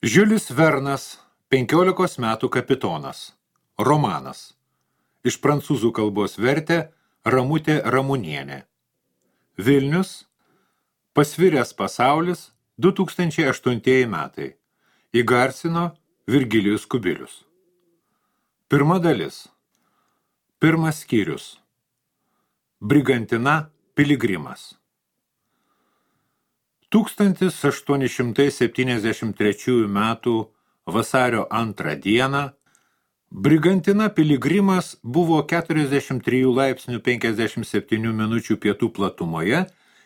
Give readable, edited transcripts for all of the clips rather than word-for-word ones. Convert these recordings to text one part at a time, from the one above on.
Žiulis Vernas, 15 metų kapitonas. Romanas. Iš prancūzų kalbos vertė Ramutė Ramunienė. Vilnius. Pasviręs pasaulis, 2008 metai. Įgarsino Virgilijus Kubilius. Pirma dalis. Pirmas skyrius. Brigantina Piligrimas. 1873 metų vasario 2 dieną Brigantina Piligrimas buvo 43 laipsnių 57 minučių pietų platumoje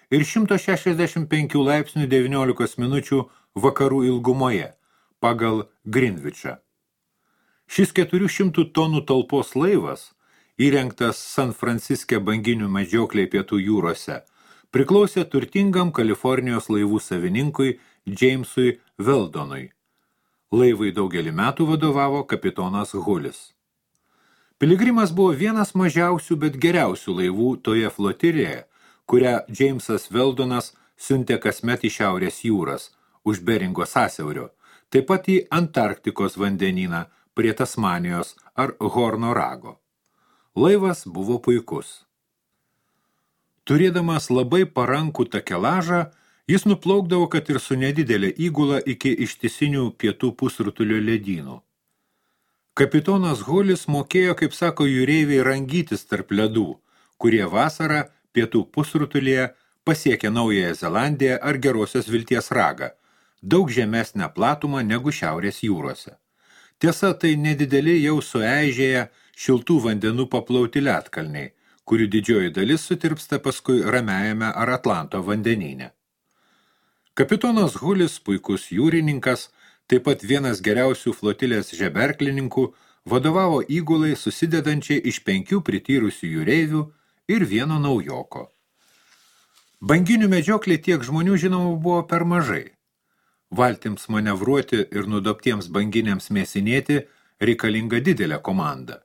ir 165 laipsnių 19 minučių vakarų ilgumoje pagal Greenwichą. Šis 400 tonų talpos laivas, įrengtas San Franciske banginių medžioklėje pietų jūrose, priklausė turtingam Kalifornijos laivų savininkui Jamesui Weldonui. Laivai daugelį metų vadovavo kapitonas Hulis. Piligrimas buvo vienas mažiausių, bet geriausių laivų toje flotilėje, kurią Jamesas Weldonas siuntė kasmet į Šiaurės jūras, už Beringo sąsiaurio, taip pat į Antarktikos vandenyną prie Tasmanijos ar Horno rago. Laivas buvo puikus. Turėdamas labai parankų takelažą, jis nuplaukdavo, kad ir su nedidelė įgula iki ištisinių pietų pusrutulio ledynų. Kapitonas Hulis mokėjo, kaip sako jūreiviai, rangytis tarp ledų, kurie vasarą pietų pusrutulyje pasiekė Naująją Zelandiją ar Gerosios Vilties ragą, daug žemesnę platumą negu Šiaurės jūrose. Tiesa, tai nedideli jau sueižėję šiltų vandenų paplauti ledkalniai, kurių didžioji dalis sutirpsta paskui Ramiajame ar Atlanto vandenyne. Kapitonas Hulis, puikus jūrininkas, taip pat vienas geriausių flotilės žeberklininkų, vadovavo įgulai susidedančiai iš 5 prityrusių jūreivių ir vieno naujoko. Banginių medžioklė tiek žmonių žinoma buvo per mažai. Valtims manevruoti ir nudobtiems banginiams mėsinėti reikalinga didelė komanda.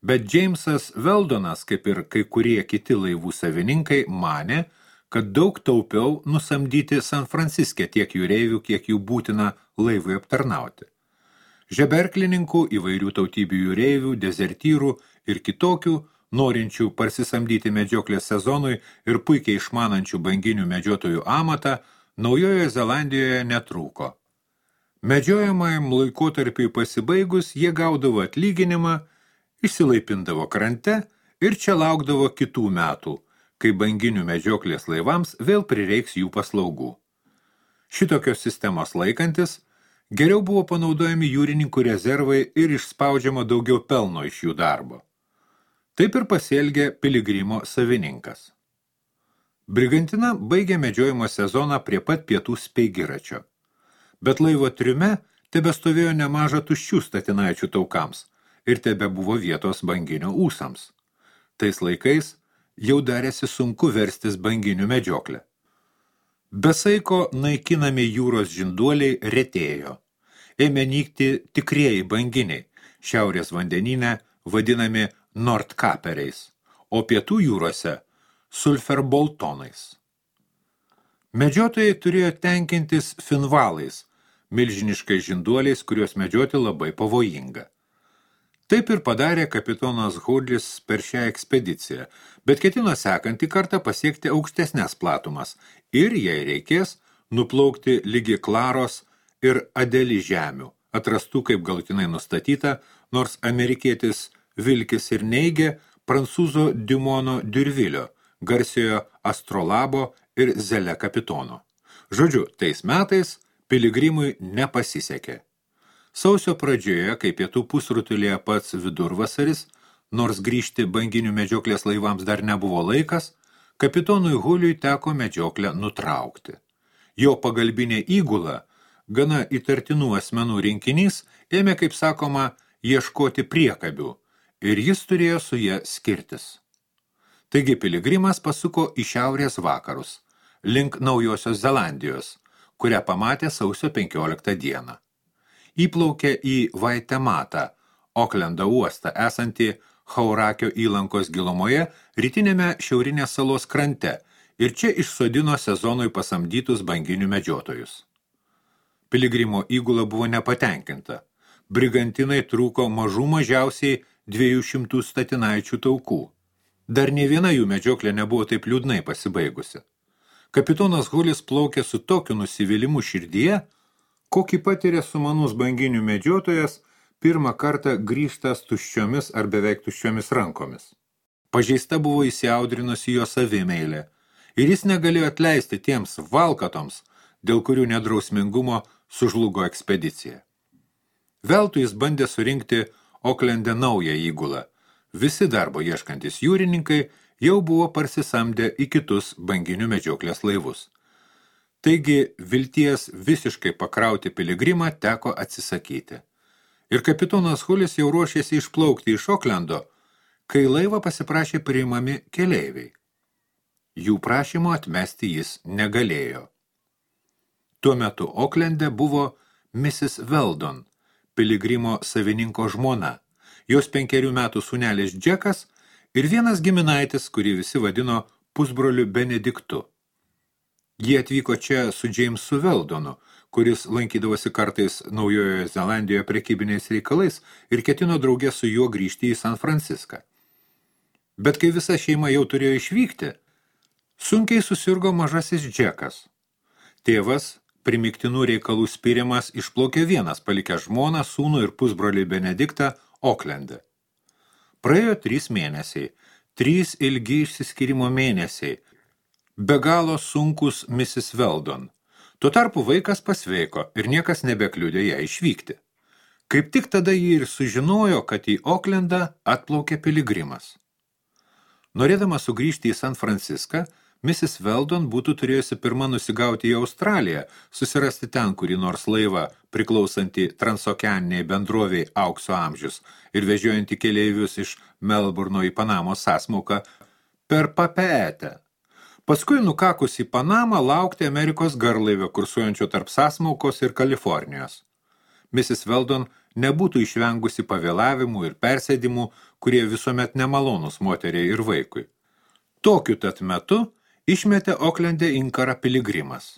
Bet Jamesas Weldonas, kaip ir kai kurie kiti laivų savininkai, manė, kad daug taupiau nusamdyti San Franciske tiek jūreivių, kiek jų būtina laivui aptarnauti. Žeberklininkų, įvairių tautybių jūreivių, dezertyrų ir kitokių, norinčių parsisamdyti medžioklės sezonui ir puikiai išmanančių banginių medžiotojų amatą, Naujojoje Zelandijoje netrūko. Medžiojamajam laikotarpiui pasibaigus, jie gaudavo atlyginimą, išsilaipindavo krante ir čia laukdavo kitų metų, kai banginių medžioklės laivams vėl prireiks jų paslaugų. Šitokios sistemos laikantis, geriau buvo panaudojami jūrininkų rezervai ir išspaudžiama daugiau pelno iš jų darbo. Taip ir pasielgė Piligrimo savininkas. Brigantina baigė medžiojimo sezoną prie pat pietų Speigiračio. Bet laivo triume tebestovėjo nemaža tuščių statinaičių taukams ir tebe buvo vietos banginio ūsams. Tais laikais jau darėsi sunku verstis banginių medžioklę. Be saiko naikinami jūros žinduoliai retėjo. Ėmė nykti tikrieji banginiai, šiaurės vandenyne vadinami nordkaperiais, o pietų jūrose sulferboltonais. Medžiotojai turėjo tenkintis finvalais, milžiniškais žinduoliais, kuriuos medžioti labai pavojinga. Taip ir padarė kapitonas Hulis per šią ekspediciją, bet ketino sekantį kartą pasiekti aukštesnės platumas ir, jei reikės, nuplaukti ligi Klaros ir Adeli žemių, atrastų kaip galutinai nustatyta, nors amerikietis Vilkis ir neigė prancūzo Dumono Durvilio, garsiojo astrolabo ir Zele kapitono. Žodžiu, tais metais Piligrimui nepasisekė. Sausio pradžioje, kai pietų pusrutulyje pats vidurvasaris, nors grįžti banginių medžioklės laivams dar nebuvo laikas, kapitonui Huliui teko medžioklę nutraukti. Jo pagalbinė įgula, gana įtartinų asmenų rinkinys, ėmė, kaip sakoma, ieškoti priekabių ir jis turėjo su ja skirtis. Taigi Piligrimas pasuko į šiaurės vakarus, link Naujosios Zelandijos, kurią pamatė sausio 15 dieną. Įplaukė į Vaitematą, Oklendo uostą, esantį Haurakio įlankos gilumoje, rytinėme šiaurinės salos krante ir čia išsodino sezonui pasamdytus banginių medžiotojus. Piligrimo įgula buvo nepatenkinta. Brigantinai trūko mažiausiai 200 statinaičių taukų. Dar nei viena jų medžioklė nebuvo taip liūdnai pasibaigusi. Kapitonas Hulis plaukė su tokiu nusivylimu širdyje, kokį patiria sumanus banginių medžiotojas pirmą kartą grįžtas tuščiomis ar beveik tuščiomis rankomis. Pažeista buvo įsiaudrinusi jo savimeilė ir jis negalėjo atleisti tiems valkatoms, dėl kurių nedrausmingumo sužlugo ekspedicija. Veltui jis bandė surinkti Oklende naują įgulą. Visi darbo ieškantis jūrininkai jau buvo parsisamdę į kitus banginių medžioklės laivus. Taigi vilties visiškai pakrauti piligrimą teko atsisakyti. Ir kapitonas Hulis jau ruošėsi išplaukti iš Oklendo, kai laivą pasiprašė priimami keleiviai. Jų prašymo atmesti jis negalėjo. Tuo metu Oklende buvo Mrs. Weldon, piligrimo savininko žmona, jos 5 metų sūnelis Džekas ir vienas giminaitis, kurį visi vadino pusbroliu Benediktu. Jie atvyko čia su Jamesu Weldonu, kuris lankydavosi kartais Naujojoje Zelandijoje prekybiniais reikalais ir ketino drauge su juo grįžti į San Franciską. Bet kai visa šeima jau turėjo išvykti, sunkiai susirgo mažasis Džekas. Tėvas, primiktinų reikalų spiriamas, išplaukė vienas, palikęs žmoną, sūnų ir pusbrolį Benediktą Oklende. Praėjo 3 mėnesiai, 3 ilgi išsiskyrimo mėnesiai, be galo sunkus Mrs. Weldon. Tuo tarpu vaikas pasveiko ir niekas nebekliudė ją išvykti. Kaip tik tada ji ir sužinojo, kad į Oklendą atplaukė piligrimas. Norėdama sugrįžti į San Franciską, Mrs. Weldon būtų turėjusi pirma nusigauti į Australiją, susirasti ten kurį nors laivą priklausantį transokeaniniai bendroviai Aukso amžius ir vežiojantį keleivius iš Melburno į Panamos sąsmauką per Papeetę. Paskui nukakus į Panamą laukti Amerikos garlaivio kursuojančio tarp sąsmaukos ir Kalifornijos. Mrs. Weldon nebūtų išvengusi pavėlavimų ir persėdimų, kurie visuomet nemalonus moteriai ir vaikui. Tokiu tat metu išmetė Oklende inkarą piligrimas.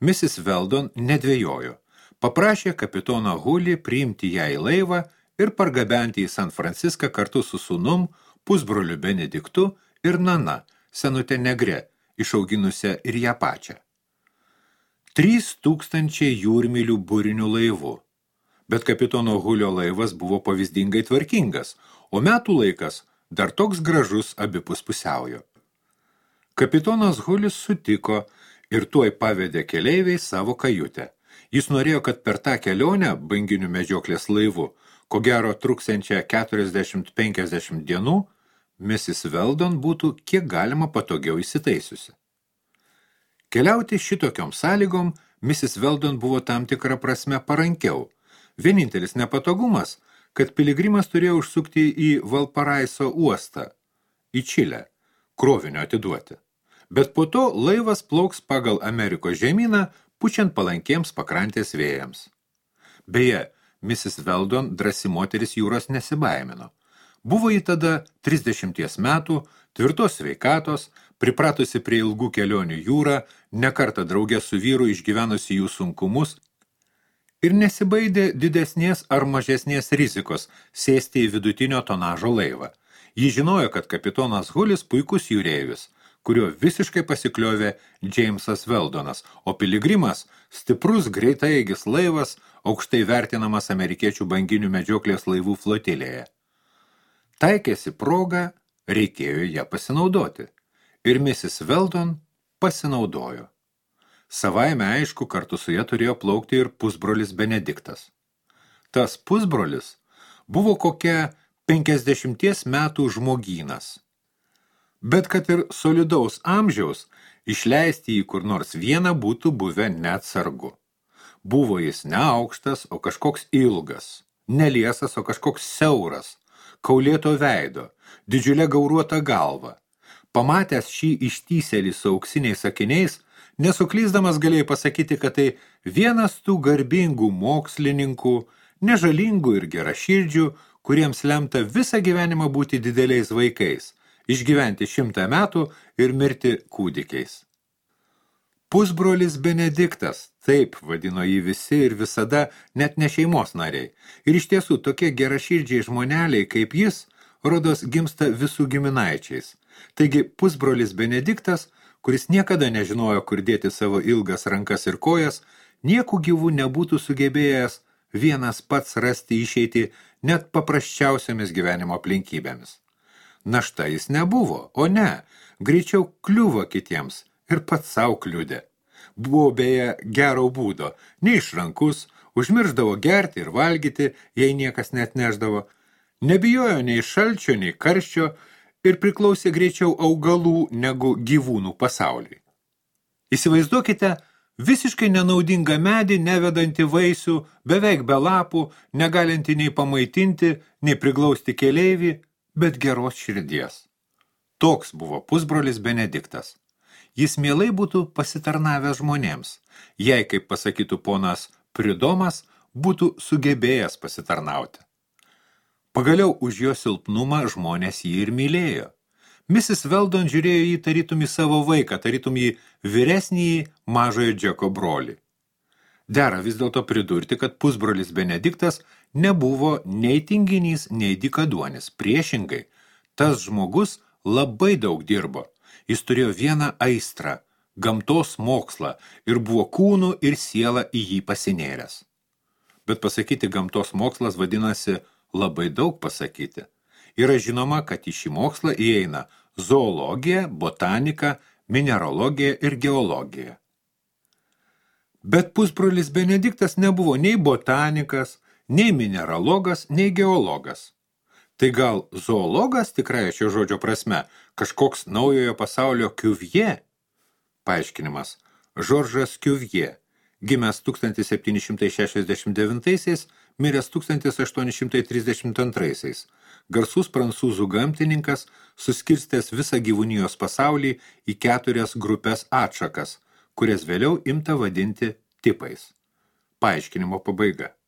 Mrs. Weldon nedvejojo, paprašė kapitoną Hulį priimti ją į laivą ir pargabenti į San Franciską kartu su sūnum, pusbroliu Benediktu ir Nana, senute negre, išauginusią ir ją pačią. 3000 jūrmylių burinių laivų. Bet kapitono Hulio laivas buvo pavyzdingai tvarkingas, o metų laikas dar toks gražus abipus pusiaujo. Kapitonas Hulis sutiko ir tuoj pavedė keleiviai savo kajutę. Jis norėjo, kad per tą kelionę banginių medžioklės laivu, ko gero truksiančią 40-50 dienų, Mrs. Weldon būtų kiek galima patogiau įsitaisiusi. Keliauti šitokiom sąlygom Mrs. Weldon buvo tam tikra prasme parankiau. Vienintelis nepatogumas, kad piligrimas turėjo užsukti į Valparaiso uostą, į Čilę, krovinio atiduoti. Bet po to laivas plauks pagal Amerikos žemyną, pučiant palankiems pakrantės vėjams. Beje, Mrs. Weldon drąsi moteris jūros nesibaimino. Buvo ji tada 30 metų, tvirtos sveikatos, pripratusi prie ilgų kelionių jūrą, nekartą drauge su vyru išgyvenusi jų sunkumus ir nesibaidė didesnės ar mažesnės rizikos sėsti į vidutinio tonažo laivą. Ji žinojo, kad kapitonas Hulis puikus jūreivis, kurio visiškai pasikliovė Jamesas Weldonas, o piligrimas stiprus greitaeigis laivas, aukštai vertinamas amerikiečių banginių medžioklės laivų flotilėje. Taikėsi proga, reikėjo ją pasinaudoti. Ir Mrs. Weldon pasinaudojo. Savaime aišku, kartu su ja turėjo plaukti ir pusbrolis Benediktas. Tas pusbrolis buvo kokia 50 metų žmogynas. Bet kad ir solidaus amžiaus, išleisti jį kur nors vieną būtų buvę neatsargu. Buvo jis ne aukštas, o kažkoks ilgas, neliesas, o kažkoks siauras, kaulėto veido, didžiulė gauruota galva. Pamatęs šį ištysėlį su auksiniais akiniais, nesuklysdamas galėjai pasakyti, kad tai vienas tų garbingų mokslininkų, nežalingų ir geraširdžių, kuriems lemta visą gyvenimą būti dideliais vaikais, išgyventi 100 metų ir mirti kūdikiais. Pusbrolis Benediktas, taip vadino jį visi ir visada, net ne šeimos nariai. Ir iš tiesų tokie geraširdžiai žmoneliai kaip jis, rodos gimsta visų giminaičiais. Taigi pusbrolis Benediktas, kuris niekada nežinojo, kur dėti savo ilgas rankas ir kojas, niekų gyvų nebūtų sugebėjęs vienas pats rasti išeitį net paprasčiausiamis gyvenimo aplinkybėmis. Našta jis nebuvo, o ne, greičiau kliuvo kitiems ir pats savo kliudė. Buvo beje gero būdo, neišrankus, užmirždavo gerti ir valgyti, jei niekas net neždavo, nebijojo nei šalčio, nei karščio ir priklausė greičiau augalų negu gyvūnų pasauliui. Įsivaizduokite visiškai nenaudingą medį, nevedantį vaisių, beveik be lapų, negalinti nei pamaitinti, nei priglausti keleivį, bet geros širdies. Toks buvo pusbrolis Benediktas. Jis mielai būtų pasitarnavęs žmonėms, jei, kaip pasakytų ponas Pridomas, būtų sugebėjęs pasitarnauti. Pagaliau už jo silpnumą žmonės jį ir mylėjo. Mrs. Weldon žiūrėjo jį tarytum į savo vaiką, tarytum jį vyresnįjį mažojo Džeko brolį. Dera vis dėlto pridurti, kad pusbrolis Benediktas nebuvo nei tinginys, nei dykaduonis. Priešingai, tas žmogus labai daug dirbo. Jis turėjo vieną aistrą, gamtos mokslą ir buvo kūnu ir siela į jį pasinėręs. Bet pasakyti gamtos mokslas vadinasi labai daug pasakyti. Yra žinoma, kad į šį mokslą įeina zoologija, botanika, mineralogija ir geologija. Bet pusbrolis Benediktas nebuvo nei botanikas, nei mineralogas, nei geologas. Tai gal zoologas tikrąja šio žodžio prasme, kažkoks naujojo pasaulio Cuvier? Paaiškinimas. Žoržas Cuvier, gimęs 1769, miręs 1832, garsus prancūzų gamtininkas, suskirstęs visą gyvūnijos pasaulį į 4 grupės atšakas, kurias vėliau imta vadinti tipais. Paaiškinimo pabaiga.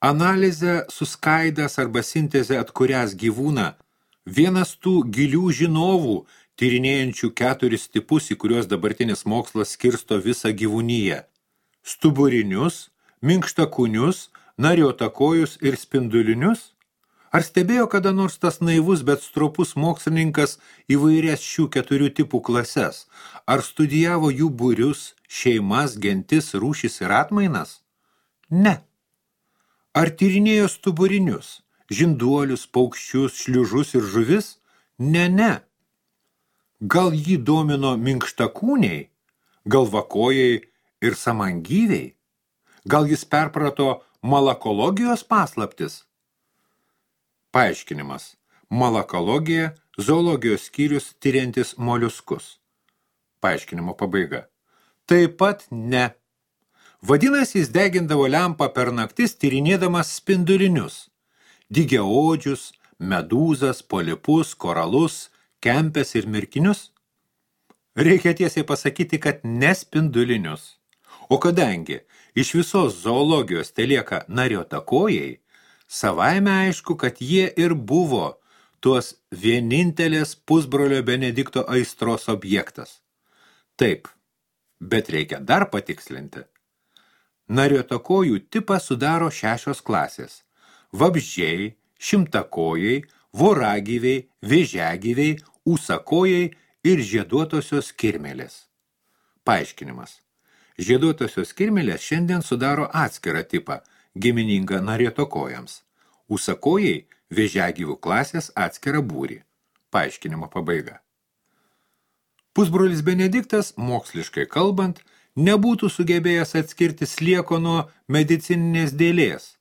Analizę suskaidęs arba sintezę atkurias gyvūną, vienas tų gilių žinovų, tyrinėjančių 4 tipus, į kuriuos dabartinis mokslas skirsto visą gyvūniją. Stuburinius, minkštakūnius, nariotakojus ir spindulinius? Ar stebėjo kada nors tas naivus, bet stropus mokslininkas įvairias šių 4 tipų klases? Ar studijavo jų būrius, šeimas, gentis, rūšis ir atmainas? Ne. Ar tyrinėjo stuburinius, žinduolius, paukščius, šliužus ir žuvis? Ne. Gal jį domino minkštakūniai, galvakojai ir samangyviai? Gal jis perprato malakologijos paslaptis? Paaiškinimas. Malakologija – zoologijos skyrius tyriantis moliuskus. Paaiškinimo pabaiga. Taip pat ne. Vadinasi, jis degindavo lempą per naktis tyrinėdamas spindulinius. Dygiaodžius, medūzas, polipus, koralus, kempes ir mirkinius? Reikia tiesiai pasakyti, kad ne spindulinius. O kadangi iš visos zoologijos telieka nariotakojai, savaime aišku, kad jie ir buvo tuos vienintelės pusbrolio Benedikto aistros objektas. Taip, bet reikia dar patikslinti. Nariotakojų tipą sudaro 6 klasės – vabzdžiai, šimtakojai, voragyviai, vėžiagyviai, ūsakojai ir žieduotosios kirmėlės. Paaiškinimas. Žieduotosios kirmėlės šiandien sudaro atskirą tipą, giminingą nariotakojams. Ūsakojai vėžiagyvių klasės atskirą būrį. Paaiškinimo pabaiga. Pusbrolis Benediktas, moksliškai kalbant, nebūtų sugebėjęs atskirti slieko nuo medicininės dėlės,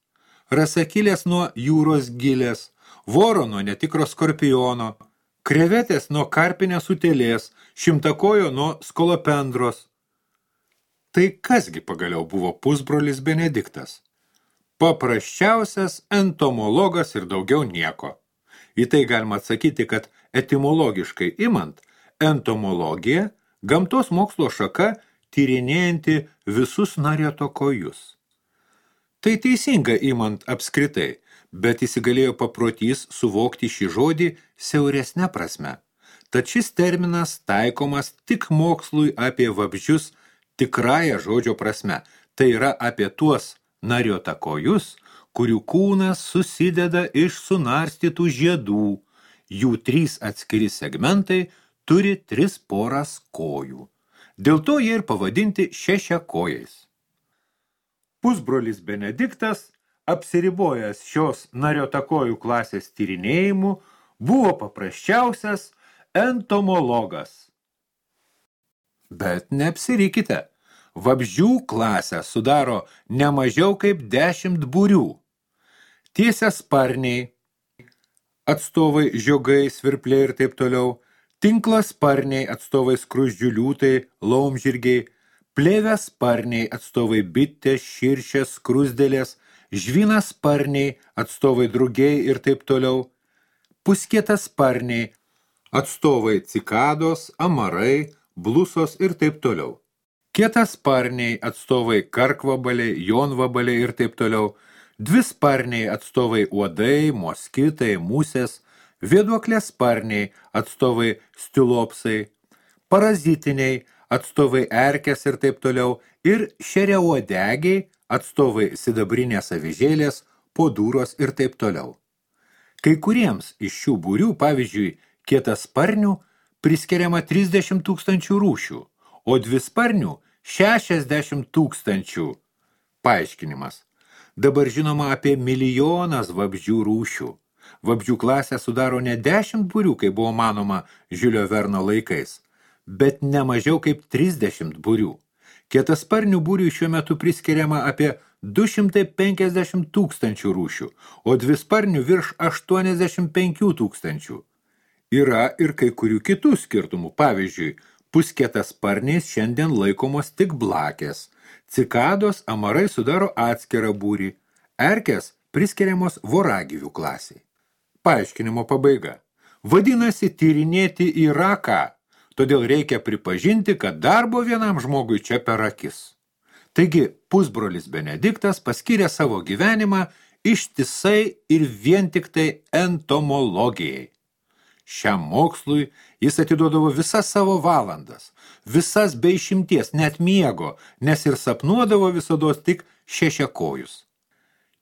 rasakilės nuo jūros gilės, voro nuo netikro skorpiono, krevetės nuo karpinės utėlės, šimtakojo nuo skolopendros. Tai kasgi pagaliau buvo pusbrolis Benediktas? Paprasčiausias entomologas ir daugiau nieko. Į tai galima atsakyti, kad etimologiškai imant, entomologija – gamtos mokslo šaka tyrinėjanti visus nariotakojus. Tai teisinga imant apskritai, bet įsigalėjo paprotys suvokti šį žodį siauresne prasme. Tad šis terminas taikomas tik mokslui apie vabzdžius tikrąja žodžio prasme. Tai yra apie tuos nariotakojus, kurių kūnas susideda iš sunarstytų žiedų. Jų 3 atskiri segmentai turi 3 poras kojų. Dėl to jie ir pavadinti šešiakojais. Pusbrolis Benediktas, apsiribojęs šios nariotakojų klasės tyrinėjimu, buvo paprasčiausias entomologas. Bet neapsirikite, vabzdžių klasę sudaro ne mažiau kaip 10 būrių. Tiesiasparniai, atstovai žiogai, svirpliai ir taip toliau, tinklasparniai, atstovai skruzdžių liūtai, laumžirgiai, plėviasparniai, atstovai bitės, širšės, skruzdėlės, žvynasparniai, atstovai drugiai ir taip toliau, puskietasparniai, atstovai cikados, amarai, blusos ir taip toliau. Kietasparniai, atstovai karkvabaliai, jonvabaliai ir taip toliau, dvisparniai, atstovai uodai, moskitai, musės, vėduoklėsparniai, atstovai stilopsai, parazitiniai, atstovai erkės ir taip toliau, ir šeriauodegiai, atstovai sidabrinės avižėlės, podūros ir taip toliau. Kai kuriems iš šių būrių, pavyzdžiui, kietasparnių, priskiriama 30 000 rūšių, o dvisparnių 60 000. Paaiškinimas. Dabar žinoma apie 1 milijonas vabzdžių rūšių. Vabzdžių klasę sudaro ne 10 būrių, kaip buvo manoma Žiulio Verno laikais, bet ne mažiau kaip 30 būrių. Kietasparnių būriui šiuo metu priskiriama apie 250 000 rūšių, o dvisparnių virš 85 000. Yra ir kai kurių kitų skirtumų. Pavyzdžiui, puskietasparniais šiandien laikomos tik blakės, cikados, amarai sudaro atskirą būrį, erkės priskiriamos voragyvių klasiai. Paaiškinimo pabaiga. Vadinasi, tyrinėti yra ką, todėl reikia pripažinti, kad darbo vienam žmogui čia per akis. Taigi, pusbrolis Benediktas paskyrė savo gyvenimą ištisai ir vien tik tai entomologijai. Šiam mokslui jis atiduodavo visas savo valandas, visas be išimties, net miego, nes ir sapnuodavo visados tik šešiakojus.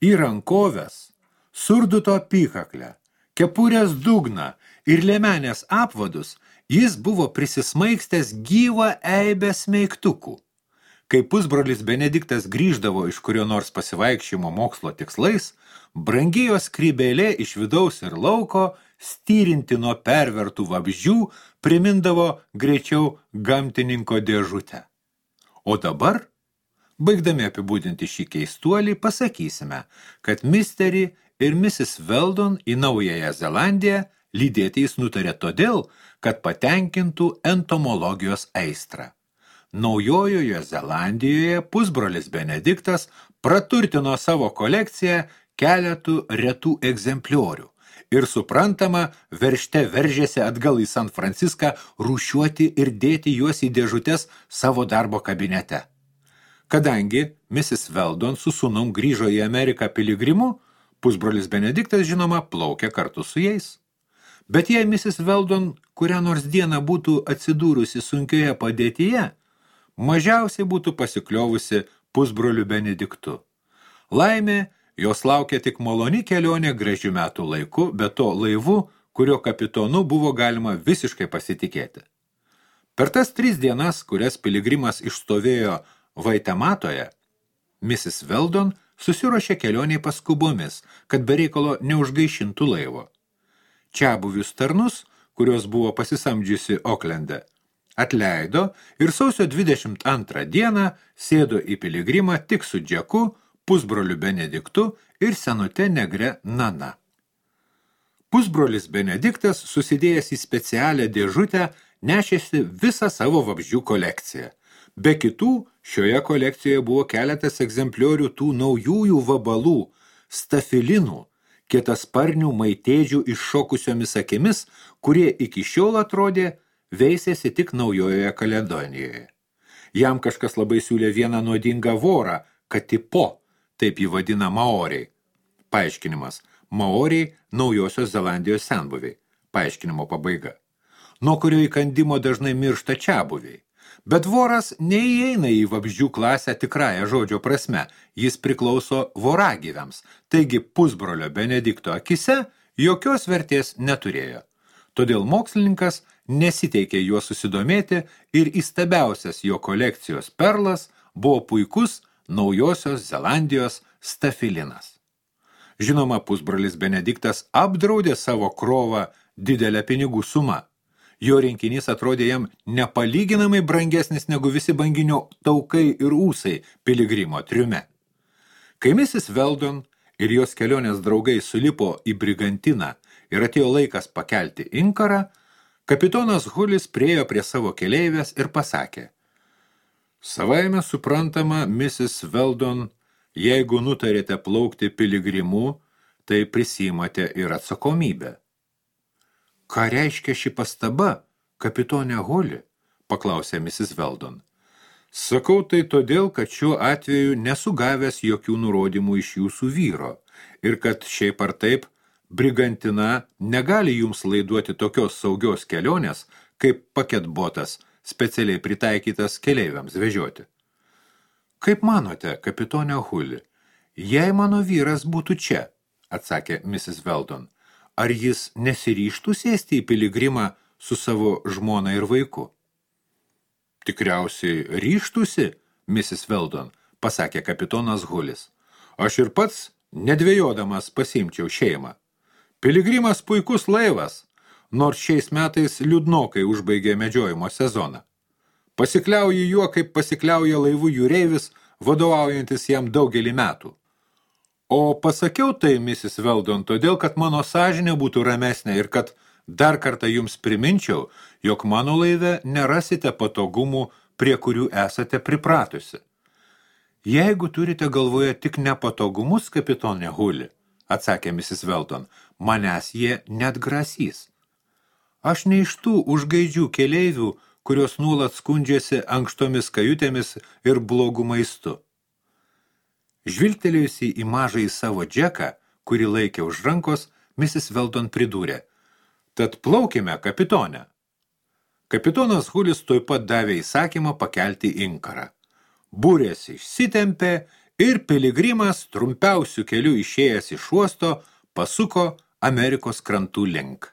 Į rankoves, surduto apykaklę, kepurės dugną ir liemenės apvadus jis buvo prisismaigstęs gyvą eibę smeigtukų. Kai pusbrolis Benediktas grįždavo iš kurio nors pasivaikščiojimo mokslo tikslais, brangėjo skrybėlė iš vidaus ir lauko, styrinti nuo pervertų vabzdžių, primindavo greičiau gamtininko dėžutę. O dabar, baigdami apibūdinti šį keistuolį, pasakysime, kad Misterį ir Mrs. Weldon į Naująją Zelandiją lydėti jis nutarė todėl, kad patenkintų entomologijos aistrą. Naujojoje Zelandijoje pusbrolis Benediktas praturtino savo kolekciją keletų retų egzempliorių ir suprantama, veržte veržėsi atgal į San Franciską rūšiuoti ir dėti juos į dėžutes savo darbo kabinete. Kadangi Mrs. Weldon su sūnum grįžo į Ameriką piligrimu, pusbrolis Benediktas, žinoma, plaukė kartu su jais. Bet jei Mrs. Weldon kurią nors dieną būtų atsidūrusi sunkioje padėtyje, mažiausiai būtų pasikliovusi pusbroliu Benediktu. Laimė, jos laukia tik maloni kelionė gražių metų laiku, bet to laivu, kurio kapitonu buvo galima visiškai pasitikėti. Per tas 3 dienas, kurias piligrimas išstovėjo Vaitematoje, Mrs. Weldon susiruošė kelioniai paskubomis, kad be reikalo neužgaišintų laivo. Čiabuvius tarnus, kurios buvo pasisamdžiusi Oklende, atleido ir sausio 22 dieną sėdo į piligrimą tik su Džeku, pusbroliu Benediktu ir senute negre Nana. Pusbrolis Benediktas, susidėjęs į specialią dėžutę, nešėsi visą savo vabzdžių kolekciją. Be kitų, šioje kolekcijoje buvo keletas egzempliorių tų naujųjų vabalų, stafilinų, kietasparnių maitėdžių iššokusiomis akimis, kurie iki šiol atrodė veisėsi tik Naujojoje Kaledonijoje. Jam kažkas labai siūlė vieną nuodingą vorą, katipo, taip jį vadina maoriai. Paaiškinimas. Maoriai Naujosios Zelandijos senbuviai. Paaiškinimo pabaiga. Nuo kurio įkandimo dažnai miršta čiabuviai. Bet voras neįeina į vabzdžių klasę tikrąją žodžio prasme, jis priklauso voragyviams, taigi pusbrolio Benedikto akise jokios vertės neturėjo. Todėl mokslininkas nesiteikė juo susidomėti ir įstabiausias jo kolekcijos perlas buvo puikus Naujosios Zelandijos stafilinas. Žinoma, pusbrolis Benediktas apdraudė savo krovą didelę pinigų sumą. Jo rinkinys atrodė jam nepalyginamai brangesnis negu visi banginio taukai ir ūsai piligrimo triume. Kai Mrs. Weldon ir jos kelionės draugai sulipo į brigantiną ir atėjo laikas pakelti inkarą, kapitonas Hulis priėjo prie savo keleivės ir pasakė: Savaime suprantama, Mrs. Weldon, jeigu nutarėte plaukti piligrimu, tai prisimate ir atsakomybę. Ką reiškia ši pastaba, kapitonė Holi? Paklausė Mrs. Weldon. Sakau tai todėl, kad šiuo atveju nesu gavęs jokių nurodymų iš jūsų vyro ir kad šiaip ar taip brigantina negali jums laiduoti tokios saugios kelionės, kaip paketbotas, specialiai pritaikytas keleiviams vežioti. Kaip manote, kapitonė Huli, jei mano vyras būtų čia, atsakė Mrs. Weldon, ar jis nesiryžtų sėsti į piligrimą su savo žmona ir vaiku? Tikriausiai ryžtųsi, Mrs. Weldon, pasakė kapitonas Hulis. Aš ir pats, nedvejodamas, pasiimčiau šeimą. Piligrimas puikus laivas, nors šiais metais liūdnokai užbaigė medžiojimo sezoną. Pasikliauji juo, kaip pasikliauja laivų jūreivis, vadovaujantis jam daugelį metų. O pasakiau tai, Mrs. Weldon, todėl, kad mano sąžinė būtų ramesnė ir kad dar kartą jums priminčiau, jog mano laive nerasite patogumų, prie kurių esate pripratusi. Jeigu turite galvoje tik nepatogumus, kapitonė Huli, atsakė Mrs. Weldon, manęs jie net grasys. Aš ne iš tų užgaidžių keleivių, kurios nuolat skundžiasi ankštomis kajutėmis ir blogų maistu. Žvilgtelėjusi į mažąjį savo Džeką, kurį laikė už rankos, Mrs. Weldon pridūrė: Tad plaukime, kapitonė. Kapitonas Hulis tuoj pat davė įsakymą pakelti inkarą. Burės išsitempė ir piligrimas trumpiausių kelių išėjęs iš uosto pasuko Amerikos krantų link.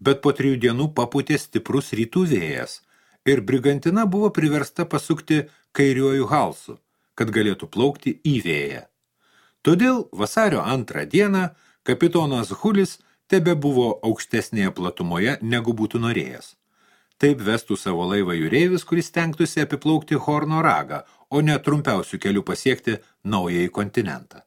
Bet po 3 dienų papūtė stiprus rytų vėjas ir brigantina buvo priversta pasukti kairiuoju halsu, kad galėtų plaukti į vėją. Todėl vasario 2 dieną kapitonas Hulis tebe buvo aukštesnėje platumoje, negu būtų norėjęs. Taip vestų savo laivą jūreivis, kuris stengtųsi apiplaukti Horno ragą, o ne trumpiausių kelių pasiekti naująjį kontinentą.